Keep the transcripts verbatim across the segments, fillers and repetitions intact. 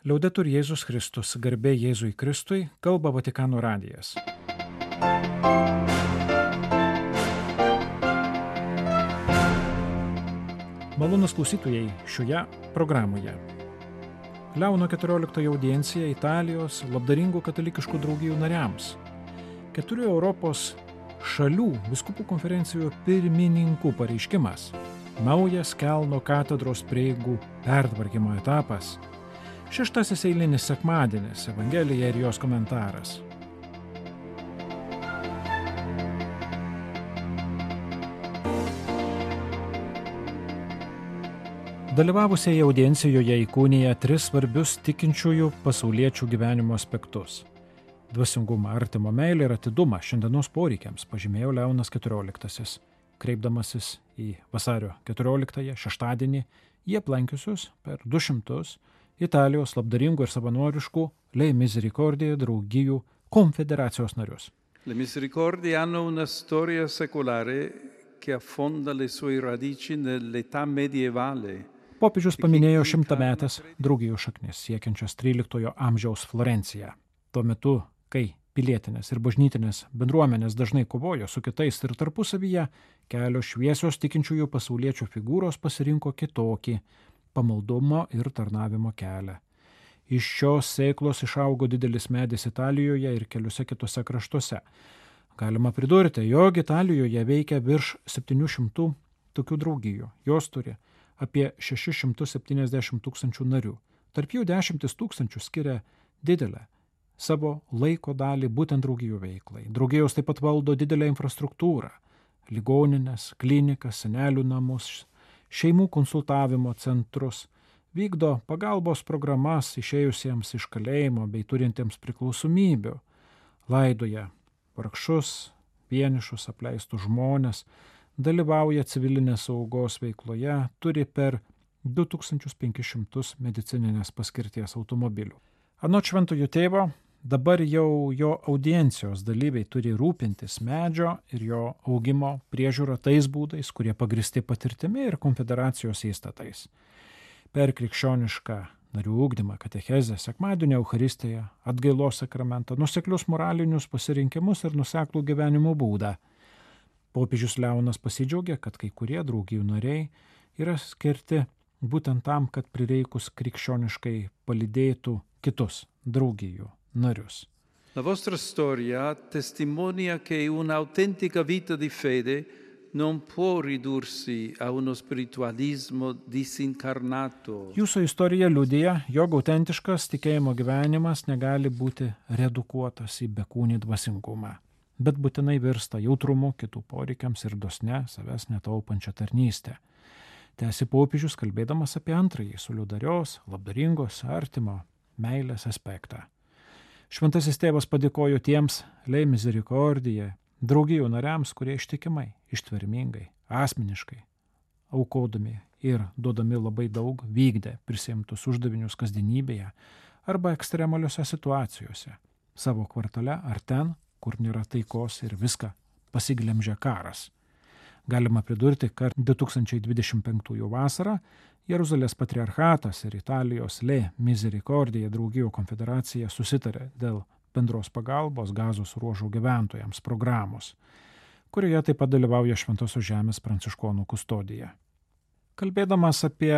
Liaudetur Jėzus Kristus, garbė Jėzui Kristui, kalba Vatikano radijas. Malonūs klausytojai šioje programoje. Leono keturioliktojo audiencija Italijos labdaringų katalikiškų draugijų nariams. Keturių Europos šalių vyskupų konferencijų pirmininkų pareiškimas. Naujas Kelno katedros prieigų pertvarkymo etapas. Šeštasis eilinis sekmadienis, Evangelija ir jos komentaras. Dalyvavusieji audiencijoje įkūnija tris svarbius tikinčiųjų pasauliečių gyvenimo aspektus. Dvasingumą, artimo meilę ir atidumą šiandienos poreikiams pažymėjo Leonas keturioliktasis. Kreipdamasis į vasario keturioliktąją šeštadienį, jie aplankiusius per du šimtus Italijos labdaringų ir savanoriškų Le Misericordie draugijų konfederacijos narius. Le Misericordie hanno una storia secolare che affonda le sue radici nell'età medievale. Popiežius paminėjo šimtametės draugijų šaknis siekiančias tryliktojo amžiaus Florenciją. Tuo metu, kai pilietinės ir bažnytinės bendruomenės dažnai kovojo su kitais ir tarpusavyje, kelios šviesios tikinčiųjų pasauliečių figūros pasirinko kitokį pamaldumo ir tarnavimo kelią. Iš šios sėklos išaugo didelis medis Italijoje ir keliuose kitose kraštuose. Galima pridurti, jog Italijoje veikia virš septynių šimtų tokių draugijų. Jos turi apie šešis šimtus septyniasdešimt tūkstančių narių. Tarp jų dešimtis tūkstančių skiria didelę savo laiko dalį būtent draugijų veiklai. Draugijos taip pat valdo didelę infrastruktūrą, ligoninės, klinikas, senelių namus, šeimų konsultavimo centrus, vykdo pagalbos programas išėjusiems iš kalėjimo bei turintiems priklausomybių, laidoja vargšus, vienišus, apleistus žmones, dalyvauja civilinės saugos veikloje, turi per du tūkstančius penkis šimtus medicininės paskirties automobilių. Anot šventojo tėvo, dabar jau jo audiencijos dalyviai turi rūpintis medžio ir jo augimo priežiūra tais būdais, kurie pagristi patirtimi ir konfederacijos įstatais. Per krikščionišką narių ugdymą, katechezę, sekmadienio Eucharistiją, atgailos sakramentą, nuseklius moralinius pasirinkimus ir nuseklų gyvenimo būdą. Popiežius Leonas pasidžiaugė, kad kai kurie draugijų nariai yra skirti būtent tam, kad prireikus krikščioniškai palydėtų kitus draugijų narius. La vostra storia testimonia che un'autentica vita di fede non può ridursi a uno spiritualismo disincarnato. Jūsų istorija liudija, jog autentiškas tikėjimo gyvenimas negali būti redukuotas į bekūnį dvasingumą, bet būtinai virsta jautrumu kitų poreikiams ir dosne savęs netaupančią tarnystę. Tęsi popiežius, kalbėdamas apie antrąjį solidarios, labdaringos, artimo meilės aspektą. Šventasis tėvas padėkojo tiems Le Misericordie draugijų nariams, kurie ištikimai, ištvermingai, asmeniškai, aukodami ir duodami labai daug, vykdė prisiimtus uždavinius kasdienybėje arba ekstremaliuose situacijose, savo kvartale ar ten, kur nėra taikos ir viską pasiglemžia karas. Galima pridurti, kad du tūkstančiai dvidešimt penktųjų vasarą Jeruzalės patriarchatas ir Italijos Le Misericordie draugijų konfederacija susitarė dėl bendros pagalbos Gazos ruožo gyventojams programos, kurioje taip pat dalyvauja Šventosios žemės pranciškonų kustodija. Kalbėdamas apie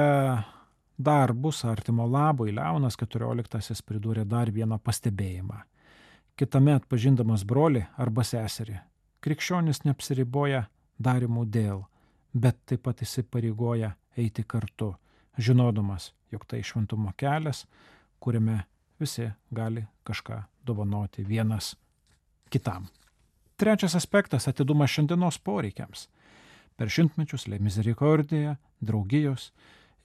darbus artimo labui, Leonas keturioliktasis pridūrė dar vieną pastebėjimą. Kitame atpažindamas brolį arba seserį, krikščionis neapsiriboja darimų dėl, bet taip pat įsipareigoja eiti kartu, žinodamas, jog tai šventumo kelias, kuriame visi gali kažką dovanoti vienas kitam. Trečias aspektas – atidumas šiandienos poreikiams. Per šimtmečius Le Misericordie draugijos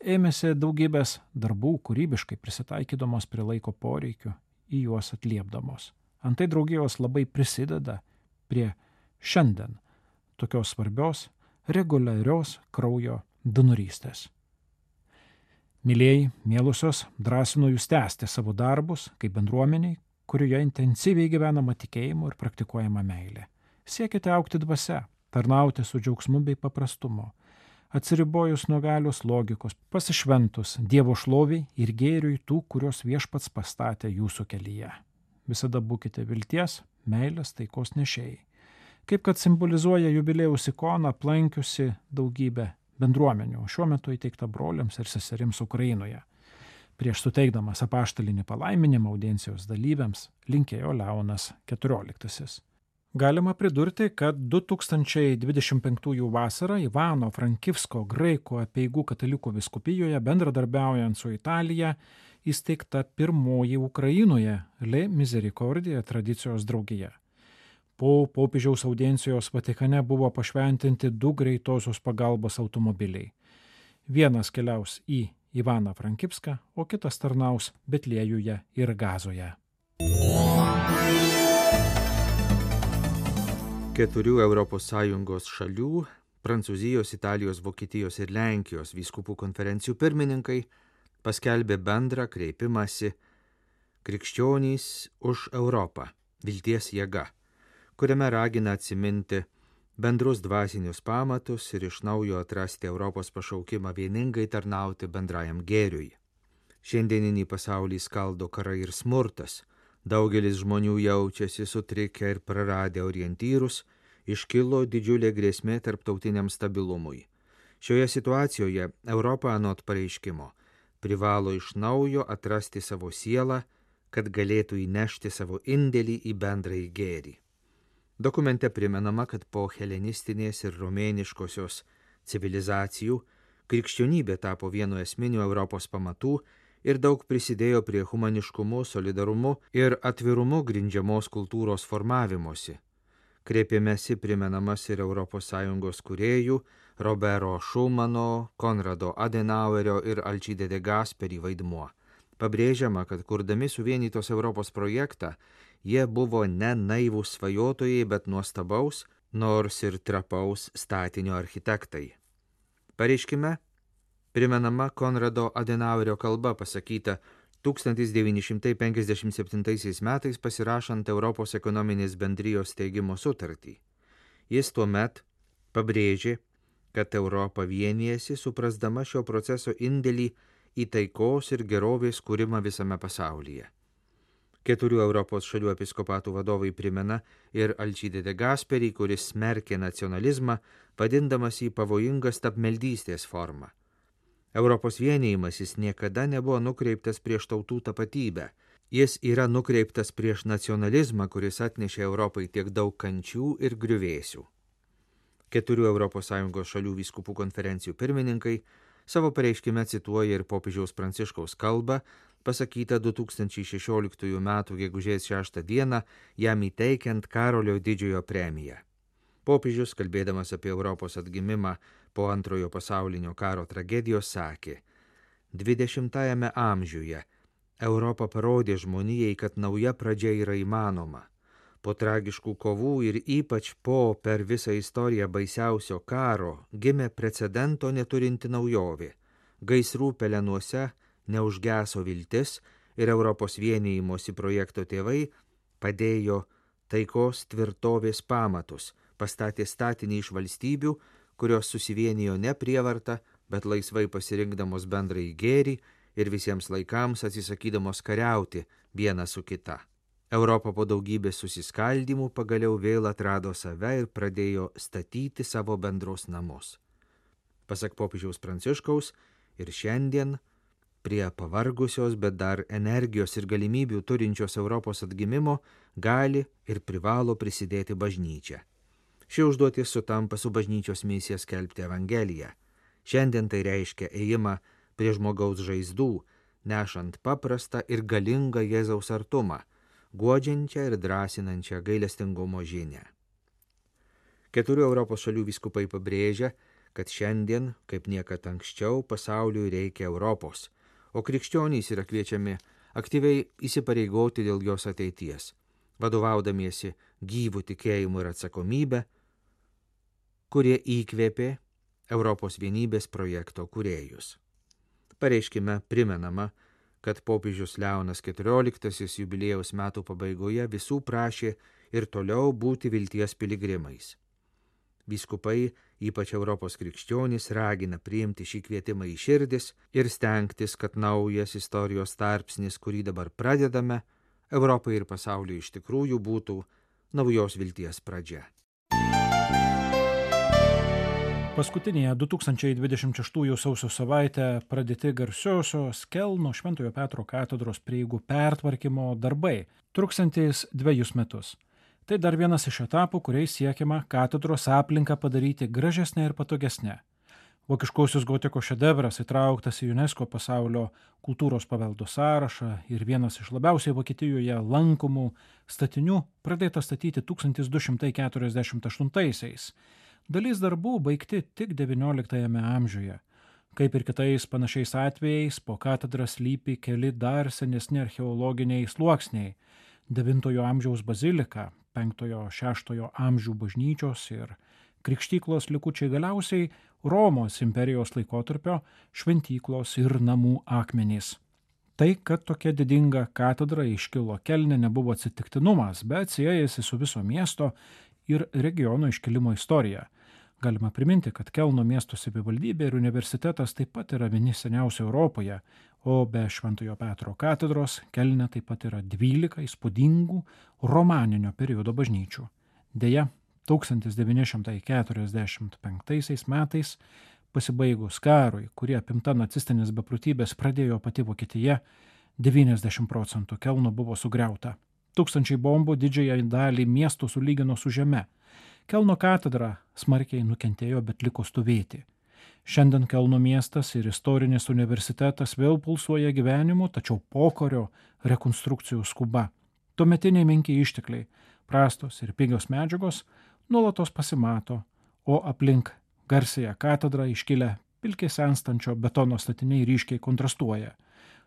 ėmėsi daugybės darbų kūrybiškai prisitaikydamos prie laiko poreikių, į juos atliepdamos. Antai draugijos labai prisideda prie šiandien tokios svarbios, reguliarios kraujo donorystės. Mylėjai, mielusios, drąsinu jūs tęsti savo darbus kaip bendruomeniai, kurioje intensyviai gyvenama tikėjimu ir praktikuojama meilė. Siekite augti dvasia, tarnauti su džiaugsmu bei paprastumu. atsiribojus nuo galios logikos, pasišventus Dievo šloviai ir gėriui tų, kurios viešpats pastatė jūsų kelyje. Visada būkite vilties, meilės, taikos nešėjai. Kaip kad simbolizuoja jubiliejaus ikona aplankiusi daugybę bendruomenių, šiuo metu įteikta broliams ir seserims Ukrainoje. Prieš suteikdamas apaštalinį palaiminimą audiencijos dalyviams linkėjo Leonas keturioliktasis. Galima pridurti, kad du tūkstančiai dvidešimt penktųjų vasarą Ivano Frankivsko graikų apeigų katalikų vyskupijoje bendradarbiaujant su Italija įsteigta pirmoji Ukrainoje Le Misericordia tradicijos draugija. Po popiežiaus audiencijos Vatikane buvo pašventinti du greitosios pagalbos automobiliai. Vienas keliaus į Ivaną Frankivską, o kitas tarnaus Betliejuje ir Gazoje. Keturių Europos Sąjungos šalių – Prancūzijos, Italijos, Vokietijos ir Lenkijos vyskupų konferencijų pirmininkai paskelbė bendrą kreipimąsi Krikščionys už Europą – vilties jėga, kuriame ragina atsiminti bendrus dvasinius pamatus ir iš naujo atrasti Europos pašaukimą vieningai tarnauti bendrajam gėriui. Šiandieninį pasaulį skaldo karai ir smurtas. Daugelis žmonių jaučiasi sutrikę ir praradę orientyrus, iškilo didžiulė grėsmė tarptautiniam stabilumui. Šioje situacijoje Europa anot pareiškimo privalo iš naujo atrasti savo sielą, kad galėtų įnešti savo indėlį į bendrąjį gėrį. Dokumente primenama, kad po helenistinės ir romėniškosios civilizacijų krikščionybė tapo vienu esminių Europos pamatų ir daug prisidėjo prie humaniškumu, solidarumu ir atvirumu grindžiamos kultūros formavimosi. Kreipėmėsi primenamas ir Europos Sąjungos kūrėjų Robero Šumano, Konrado Adenauerio ir Alcide de Gasperi vaidmuo. Pabrėžiama, kad kurdami suvienytos Europos projektą, jie buvo ne naivūs svajotojai, bet nuostabaus, nors ir trapaus statinio architektai. Pareiškime primenama Konrado Adenauerio kalba pasakyta tūkstantis devyni šimtai penkiasdešimt septintaisiais metais pasirašant Europos ekonominės bendrijos steigimo sutartį. Jis tuomet pabrėžė, kad Europa vienijasi, suprasdama šio proceso indėlį į taikos ir gerovės kūrimą visame pasaulyje. Keturių Europos šalių episkopatų vadovai primena ir Alcide de Gasperi, kuris smerkė nacionalizmą, vadindamas jį pavojingą stabmeldystės formą. Europos vienijimasis niekada nebuvo nukreiptas prieš tautų tapatybę. Jis yra nukreiptas prieš nacionalizmą, kuris atnešė Europai tiek daug kančių ir griuvėsių. Keturių Europos Sąjungos šalių vyskupų konferencijų pirmininkai savo pareiškime cituoja ir popiežiaus Pranciškaus kalbą, pasakyta du tūkstančiai šešioliktųjų metų gegužės šeštą dieną, jam įteikiant Karolio didžiojo premiją. Popiežius, kalbėdamas apie Europos atgimimą po antrojo pasaulinio karo tragedijos, sakė: dvidešimtajame amžiuje Europa parodė žmonijai, kad nauja pradžia yra įmanoma. Po tragiškų kovų ir ypač po per visą istoriją baisiausio karo gimė precedento neturinti naujovė. Gaisrų pelenuose neužgeso viltis ir Europos vienijimosi projekto tėvai padėjo taikos tvirtovės pamatus, pastatė statinį iš valstybių, kurios susivienijo ne prievarta, bet laisvai pasirinkdamos bendrąjį gėrį ir visiems laikams atsisakydamos kariauti viena su kita. Europa po daugybės susiskaldymų pagaliau vėl atrado save ir pradėjo statyti savo bendros namus. Pasak popiežiaus Pranciškaus, ir šiandien prie pavargusios, bet dar energijos ir galimybių turinčios Europos atgimimo gali ir privalo prisidėti bažnyčia. Ši užduotis sutampa su bažnyčios misija skelbti Evangeliją. Šiandien tai reiškia ėjimą prie žmogaus žaizdų, nešant paprastą ir galingą Jėzaus artumą, guodžiančią ir drąsinančią gailestingumo žinią. Keturių Europos šalių vyskupai pabrėžia, kad šiandien, kaip niekad anksčiau, pasauliui reikia Europos, o krikščionys yra kviečiami aktyviai įsipareigoti dėl jos ateities, vadovaudamiesi gyvų tikėjimu ir atsakomybę, kurie įkvėpė Europos vienybės projekto kūrėjus. Pareiškime primenama, kad popiežius Leonas keturioliktasis jubiliejaus metų pabaigoje visų prašė ir toliau būti vilties piligrimais. Vyskupai ypač Europos krikščionys, ragina priimti šį kvietimą į širdis ir stengtis, kad naujas istorijos tarpsnis, kurį dabar pradedame, Europai ir pasauliui iš tikrųjų būtų naujos vilties pradžia. Paskutinėje du tūkstančiai dvidešimt šeštųjų sausio savaitę pradėti garsiosios Kelno Šventojo Petro katedros prieigų pertvarkymo darbai, truksiantys dvejus metus. Tai dar vienas iš etapų, kuriais siekiama katedros aplinką padaryti gražesnę ir patogesnę. Vokiškosios gotikos šedevras įtrauktas į UNESCO pasaulio kultūros paveldo sąrašą ir vienas iš labiausiai Vokietijoje lankomų statinių pradėtas statyti tūkstantis du šimtai keturiasdešimt aštuntaisiais. Dalis darbų baigti tik devynioliktajame amžiuje. Kaip ir kitais panašiais atvejais, po katedra slypi keli dar senesni archeologiniai sluoksniai. devintojo amžiaus bazilika, penktojo šeštojo amžių bažnyčios ir krikštyklos likučiai, galiausiai Romos imperijos laikotarpio šventyklos ir namų akmenys. Tai, kad tokia didinga katedra iškilo Kelne, nebuvo atsitiktinumas, bet siejasi su viso miesto ir regiono iškilimo istorija. Galima priminti, kad Kelno miesto savivaldybė ir universitetas taip pat yra vieni seniausių Europoje, o be Šventojo Petro katedros Kelne taip pat yra dvylika įspūdingų romaninio periodo bažnyčių. Deja, tūkstantis devyni šimtai keturiasdešimt penktaisiais metais, pasibaigus karui, kurie apimta nacistinės beprotybės pradėjo pati Vokietija, devyniasdešimt procentų Kelno buvo sugriauta. Tūkstančiai bombų didžiąją dalį miestų sulygino su žeme. Kelno katedra smarkiai nukentėjo, bet liko stovėti. Šiandien Kelno miestas ir istorinis universitetas vėl pulsuoja gyvenimu, tačiau pokario rekonstrukcijų skuba. Tuometiniai menki ištekliai, prastos ir pigios medžiagos nuolatos pasimato, o aplink garsiąją katedrą iškilę pilkiai senstančio betono statiniai ryškiai kontrastuoja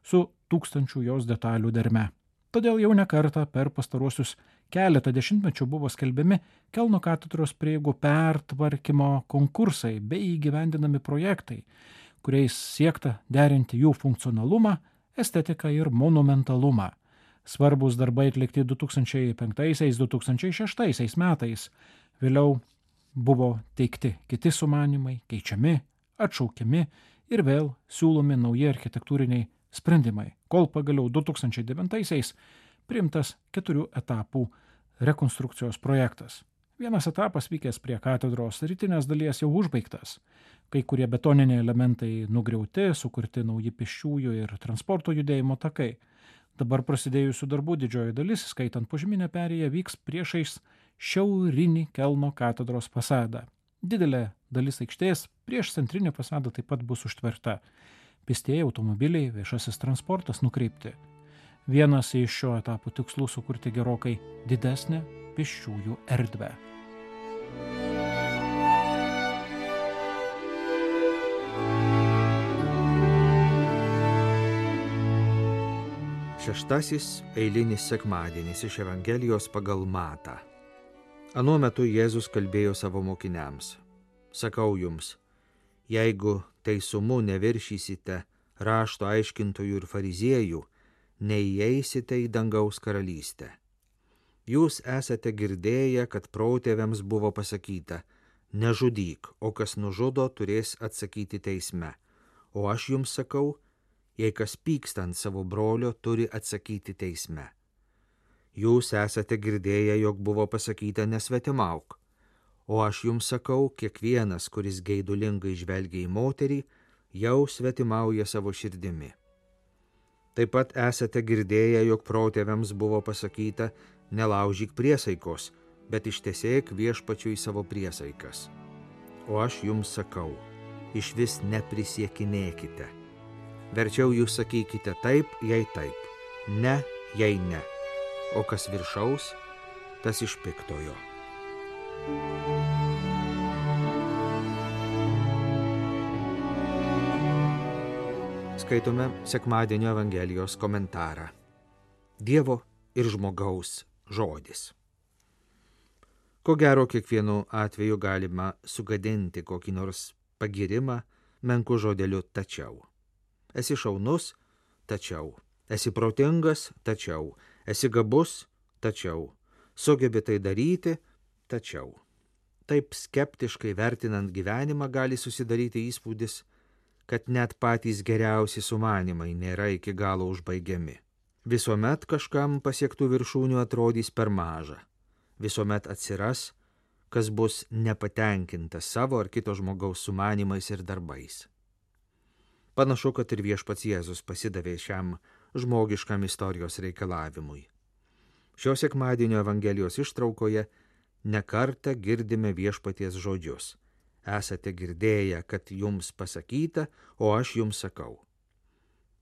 su tūkstančių jos detalių derme. Todėl jau ne kartą per pastaruosius keletą dešimtmečių buvo skelbiami Kelno katedros prieigų pertvarkymo konkursai bei įgyvendinami projektai, kuriais siekta derinti jų funkcionalumą, estetiką ir monumentalumą. Svarbus darbai atlikti du tūkstančiai penktaisiais - du tūkstančiai šeštaisiais metais. Vėliau buvo teikti kiti sumanymai, keičiami, atšaukiami ir vėl siūlomi nauji architektūriniai sprendimai, kol pagaliau du tūkstančiai devintaisiais priimtas keturių etapų rekonstrukcijos projektas. Vienas etapas vykęs prie katedros rytinės dalies jau užbaigtas. Kai kurie betoniniai elementai nugriauti, sukurti nauji pėsčiųjų ir transporto judėjimo takai. Dabar prasidėjusių darbų didžioji dalis, skaitant požeminę perėją, vyks priešais šiaurinį Kelno katedros fasadą. Didelė dalis aikštės prieš centrinį fasadą taip pat bus užtverta. Pėstieji, automobiliai, viešasis transportas nukreipti. Vienas iš šio etapo tikslų sukurti gerokai didesnę pėsčiųjų erdvę. Šeštasis eilinis sekmadienis iš Evangelijos pagal Matą. Anuo metu Jėzus kalbėjo savo mokiniams: Sakau jums, jeigu teisumu neviršysite rašto aiškintojų ir fariziejų, neįeisite į dangaus karalystę. Jūs esate girdėję, kad protėviams buvo pasakyta: nežudyk, o kas nužudo, turės atsakyti teisme. O aš jums sakau, jei kas pyksta ant savo brolio, turi atsakyti teisme. Jūs esate girdėję, jog buvo pasakyta: nesvetimauk. O aš jums sakau, kiekvienas, kuris geidulingai žvelgia į moterį, jau svetimauja savo širdimi. Taip pat esate girdėję, jog protėviams buvo pasakyta: nelaužyk priesaikos, bet ištesėk viešpačiui savo priesaikas. O aš jums sakau, išvis neprisiekinėkite. Verčiau jūs sakykite taip, jei taip, ne, jei ne. O kas viršaus, tas iš piktojo. Skaitome sekmadienio Evangelijos komentarą. Dievo ir žmogaus žodis. Ko gero, kiekvienu atveju galima sugadinti kokį nors pagirimą menku žodeliu tačiau. Esi šaunus, tačiau. Esi protingas, tačiau. Esi gabus, tačiau. Sugebi tai daryti, tačiau. Taip skeptiškai vertinant gyvenimą gali susidaryti įspūdis, kad net patys geriausi sumanimai nėra iki galo užbaigiami. Visuomet kažkam pasiektų viršūnių atrodys per maža. Visuomet atsiras, kas bus nepatenkintas savo ar kito žmogaus sumanimais ir darbais. Panašu, kad ir viešpats Jėzus pasidavė šiam žmogiškam istorijos reikalavimui. Šio sekmadienio Evangelijos ištraukoje nekartą girdime viešpaties žodžius. Esate girdėję, kad jums pasakyta, o aš jums sakau.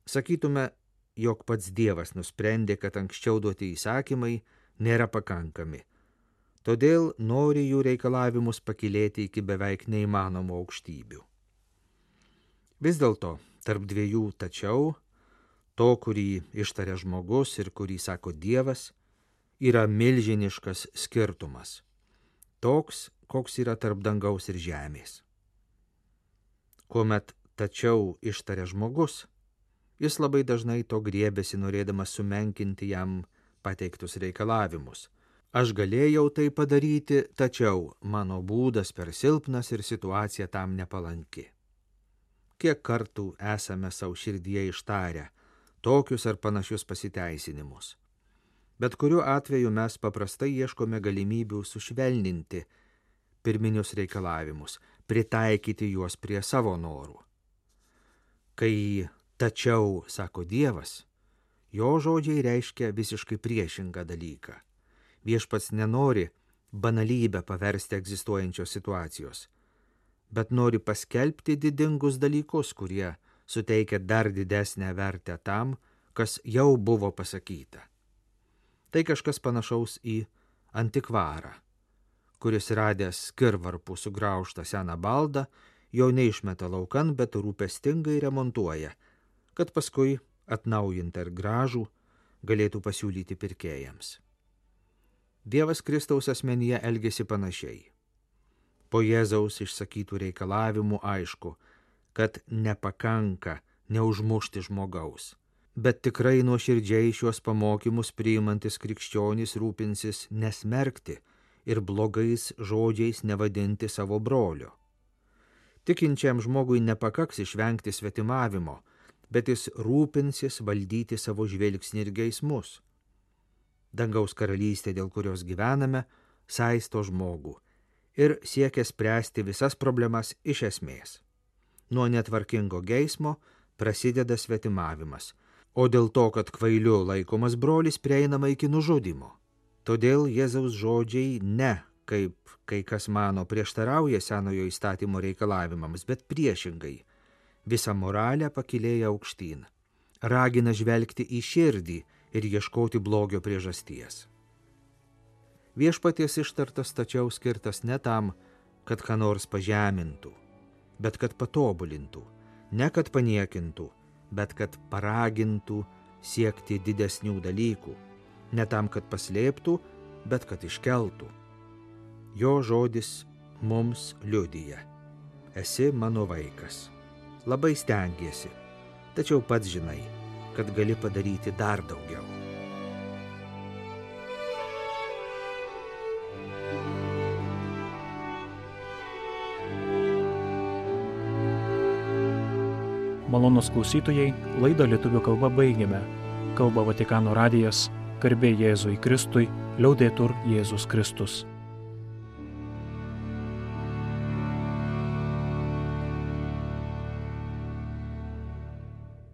Sakytume, jog pats Dievas nusprendė, kad anksčiau duoti įsakymai nėra pakankami. Todėl nori jų reikalavimus pakilėti iki beveik neįmanomų aukštybių. Vis dėlto, tarp dviejų tačiau, to, kurį ištaria žmogus ir kurį sako Dievas, yra milžiniškas skirtumas. Toks, koks yra tarp dangaus ir žemės. Kuomet tačiau ištaria žmogus, jis labai dažnai to griebėsi norėdamas sumenkinti jam pateiktus reikalavimus. Aš galėjau tai padaryti, tačiau mano būdas per silpnas ir situacija tam nepalanki. Kiek kartų esame savo širdyje ištarę tokius ar panašius pasiteisinimus. Bet kuriuo atveju mes paprastai ieškome galimybių sušvelninti pirminius reikalavimus, pritaikyti juos prie savo norų. Kai tačiau sako Dievas, jo žodžiai reiškia visiškai priešingą dalyką. Viešpats nenori banalybę paversti egzistuojančios situacijos, bet nori paskelbti didingus dalykus, kurie suteikia dar didesnę vertę tam, kas jau buvo pasakyta. Tai kažkas panašaus į antikvarą, kuris radęs skirvarpų sugraužtą seną baldą, jo neišmeta laukan, bet rūpestingai remontuoja, kad paskui atnaujintą ir gražų galėtų pasiūlyti pirkėjams. Dievas Kristaus asmenyje elgėsi panašiai. Po Jėzaus išsakytų reikalavimų aišku, kad nepakanka neužmušti žmogaus, bet tikrai nuoširdžiai šiuos pamokymus priimantis krikščionys rūpinsis nesmerkti ir blogais žodžiais nevadinti savo brolio. Tikinčiam žmogui nepakaks išvengti svetimavimo, bet jis rūpinsis valdyti savo žvilgsnį ir geismus. Dangaus karalystė, dėl kurios gyvename, saisto žmogų ir siekia spręsti visas problemas iš esmės. Nuo netvarkingo geismo prasideda svetimavimas, o dėl to, kad kvailiu laikomas brolis, prieinama iki nužudimo. Todėl Jėzaus žodžiai ne, kaip kai kas mano, prieštarauja senojo įstatymo reikalavimams, bet priešingai, visą moralę pakilėja aukštyn, ragina žvelgti į širdį ir ieškoti blogio priežasties. Viešpaties ištartas tačiau skirtas ne tam, kad ką nors pažemintų, bet kad patobulintų, ne kad paniekintų, bet kad paragintų siekti didesnių dalykų, ne tam, kad paslėptų, bet kad iškeltų. Jo žodis mums liudija: esi mano vaikas. Labai stengiesi, tačiau pats žinai, kad gali padaryti dar daugiau. Malonūs klausytojai, laidą lietuvių kalba baigėme. Kalba Vatikano radijas, garbė Jėzui Kristui, liaudetur Jėzus Kristus.